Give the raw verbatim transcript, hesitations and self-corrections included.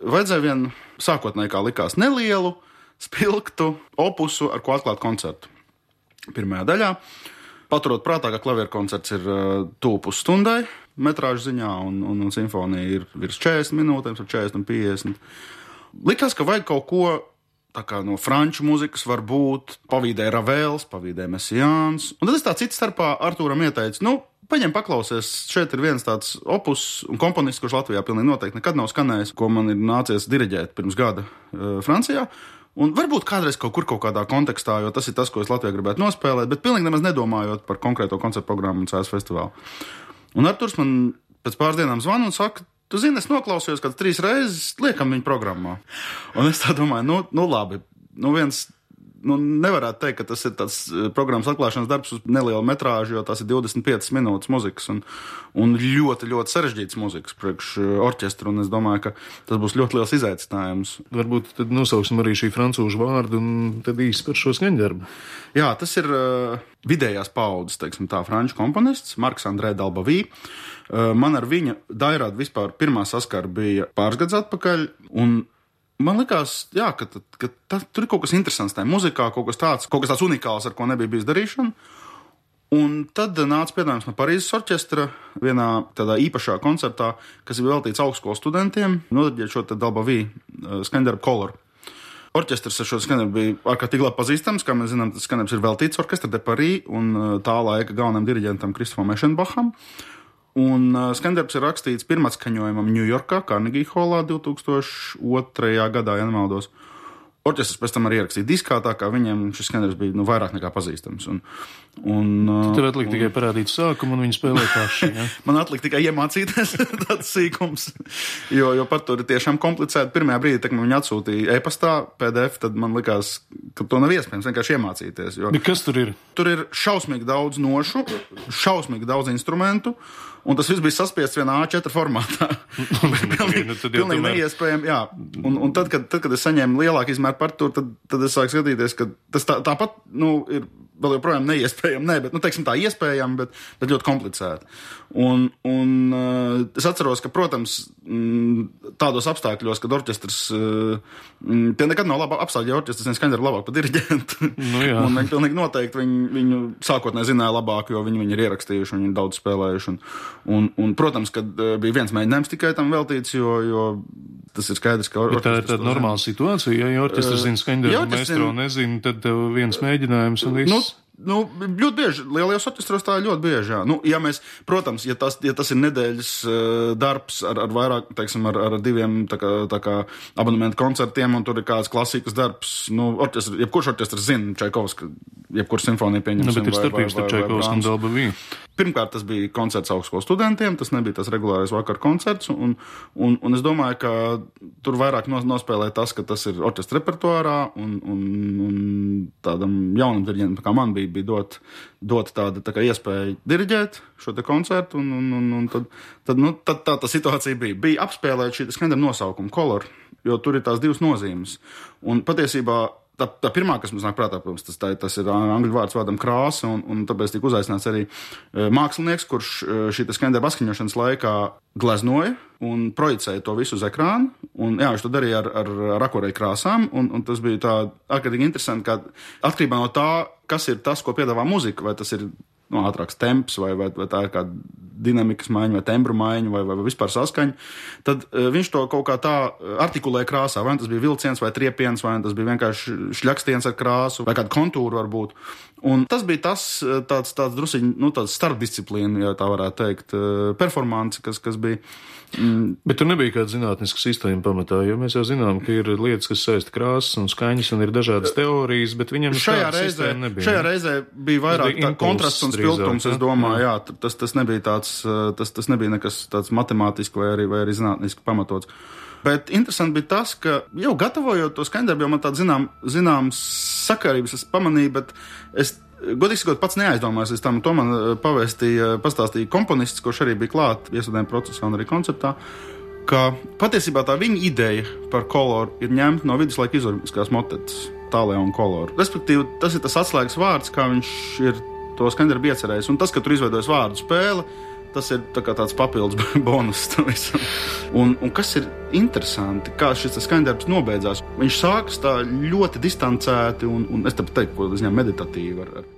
vajadzēja vienu sākotnēji, kā likās, nelielu, spilgtu opusu, ar ko atklāt koncertu. Pirmajā daļā, paturot prātā, ka klavieru koncerts ir uh, tuvu pusstundai metrāžu ziņā, un, un, un simfonija ir virs četrdesmit minūtēm, ar četrdesmit un piecdesmit. Likās, ka vajag kaut ko tā kā no franču mūzikas varbūt, pavīdēja Ravels, pavīdēja Messiāns. Un tad es tā citu starpā Artūram ieteicu, nu, paņem paklausies, šeit ir viens tāds opus un komponists, kurš Latvijā pilnīgi noteikti nekad nav skanējis, ko man ir nācies diriģēt pirms gada uh, Francijā. Un varbūt kādreiz kaut kur kaut kādā kontekstā, jo tas ir tas, ko es Latvijā gribētu nospēlēt, bet pilnīgi nemaz nedomājot par konkrēto koncertu programmu un C S festivālu. Un Arturs man pēc pāris dienām zvana un saka, tu zini, es noklausījos kāds trīs reizes, liekam viņu programmā. Un es tā domāju, nu, nu labi, nu viens, nu nevarētu teikt, ka tas ir tāds programmas atklāšanas darbs uz nelielu metrāžu, jo tās ir divdesmit piecas minūtes muzikas un, un ļoti, ļoti sarežģītas muzikas priekš orķestru, un es domāju, ka tas būs ļoti liels izaicinājums. Varbūt tad nosauksim arī šī francūžu vārdu un tad īsti par šo skaņdarbu. Jā, tas ir uh, vidējās paudzes, teiksim tā, franču komponists, Marks Andrē Dalbavī. Uh, man ar viņa dairādu vispār pirmā saskara bija pāris gadus atpakaļ, un man likās, jā, ka, ka tā, tur ir kaut kas interesants tajā muzikā, kaut kas tāds, kaut kas tāds unikāls, ar ko nebija bijis darīšana. Un tad nāca piedāvājums no Parīzes orķestra vienā tādā īpašā koncertā, kas bija veltīts augstskolas studentiem, nodarbot šo te Dalbavī skaņdarbu Color. Orķestrs ar šo skaņdarbu bija ārkārtīgi labi pazīstams, kā mēs zinām, tas skaņdarbs ir veltīts Orkestra de Paris un tā laika galvenam diriģentam Kristofam Ešenbacham. Un uh, skaņdarbs ir rakstīts pirmatskaņojumam Ņujorkā, Carnegie Hallā divtūkstoš otrajā gadā, ja nemaldos. Orķestrs pēc tam arī ierakstīja diskā, tā kā viņiem šis skaņdarbs bija nu, vairāk nekā pazīstams. Un, un, uh, Tev atlika un... tikai parādīt sākumu, un viņi spēlē paši. Ja? Man atlika tikai iemācīties tāds sīkums, jo, jo par to ir tiešām komplicēti. Pirmajā brīdī, kad man viņi atsūtīja e-pastā P D F, tad man likās, ka to nav iespējams vienkārši iemācīties. Jo... Bet kas tur ir? Tur ir šausmīgi daudz nošu, šausmīgi daudz instrumentu, un tas viss bija saspiests vienā A četri formātā. pilnīgi nu, pilnīgi tomēr... neiespējami, jā. Un, un tad, kad, tad, kad es saņēmu lielāku izmēru partitūru, tad, tad es sāku skatīties, ka tas tā, tāpat, nu, ir vēl joprojām neiespējami, ne, bet, nu, teiksim tā, iespējami, bet, bet ļoti komplicēti. Un, un uh, es atceros, ka, protams, mm, tādos apstākļos, kad orķestrs, uh, mm, tie nekad nav labi apstākļi, ja orķestrs vien skaņdarbu labāk par diriģentu. Nu, jā. Un viņi pilnīgi noteikti viņu, viņu sākotnēji zināja labāk, jo viņi viņu ir ierakstījuši, viņi ir daudz spēlējuši. Un, un, un protams, kad uh, bija viens mēģinājums tikai tam veltīts, jo, jo tas ir skaidrs, ka orķestrs... Tā ir tāda normāla situācija, ja orķestrs uh, zina skaņdarbu, maestro nezina, tad tev viens mēģinājums un viss... Nu, Nu, ļoti bieži, lielajos orķestros tā ir ļoti bieži, jā. Nu, ja mēs, protams, ja tas, ja tas ir nedēļas uh, darbs ar, ar vairāk, teiksim, ar, ar diviem tā kā, tā kā abonementu koncertiem, un tur ir kāds klasikas darbs, nu, orķestrs, jebkurš orķestrs zina Čaikovska, jebkurš simfonija pieņemsim. Nu, bet ir starpības starp Čaikovsku un Dalbavī. Pirmkārt, tas bija koncerts augstskolas studentiem, tas nebija tas regulārais vakar koncerts, un, un, un es domāju, ka tur vairāk nospēlē tas, ka tas ir orķestra repertuārā, un, un, un tādam jaunam diriģentam, kā man bija, bija dot, dot tāda tā kā iespēja diriģēt šo te koncertu, un, un, un, un tad, tad, nu, tad tā tā situācija bija. Bija apspēlēt šī skaņdarbu nosaukumu Color, jo tur ir tās divas nozīmes. Un patiesībā Tā, tā pirmā, kas mums nāk prātā, protams, tas, tā, tas ir angļu vārds vārdam krāsa, un, un tāpēc tika uzaicināts arī e, mākslinieks, kurš e, šī skaņdarba atskaņošanas laikā gleznoja un projicēja to visu uz ekrānu, un jā, viņš to darīja ar, ar, ar akorei krāsām, un, un tas bija tā ārkārtīgi interesanti, ka atkarībā no tā, kas ir tas, ko piedāvā muzika, vai tas ir nu, ātrāks temps, vai, vai, vai tā ir kāda dinamikas maiņa, vai tembru maiņa, vai, vai, vai vispār saskaņa, tad uh, viņš to kaut kā tā artikulēja krāsā, vai tas bija vilciens, vai triepiens, vai tas bija vienkārši šļakstiens ar krāsu, vai kāda kontūra varbūt. Un tas bija tas tāds, tāds drusiņ, nu, tāds starpdisciplīna, ja tā varētu teikt, uh, performance, kas, kas bija. Mm. Bet tur nebija kāda zinātniska sistēma pamatā, jo mēs jau zinām, ka ir lietas, kas saista krāsas un skaņas, un ir dažādas teorijas, bet viņam šajā reizē nebija. Šajā reizē bija vairāk tā kontrasts un spilgtums, es domāju, jā, jā tas, tas nebija tāds, tas, tas nebija nekas tāds matemātiski vai arī, vai arī zinātniski pamatots. Bet interesanti bija tas, ka jau gatavojot to skaņdarbu, jau man tāda zinām, zināms sakarības es pamanīju, bet es godīgi sakot, pats neaizdomājos, es tam to man pavēstīja, pastāstīja komponists, kurš arī bija klāt iestudējuma procesā un arī konceptā, ka patiesībā tā viņa ideja par koloru ir ņemta no viduslaika izurbiskās motetes, Tālē un Koloru. Respektīvi, tas ir tas atslēgas vārds, kā viņš ir to skaņdarbu iecerējis, un tas, ka tur izveidojas vārdu spēle, tas ir tā kā tāds papildus bonus tam visam. Un, un kas ir interesanti, kā šis skaņdarbs nobeidzās. Viņš sākas tā ļoti distancēti un, un es tāpēc teiktu, ko es ņem meditatīvi ar, ar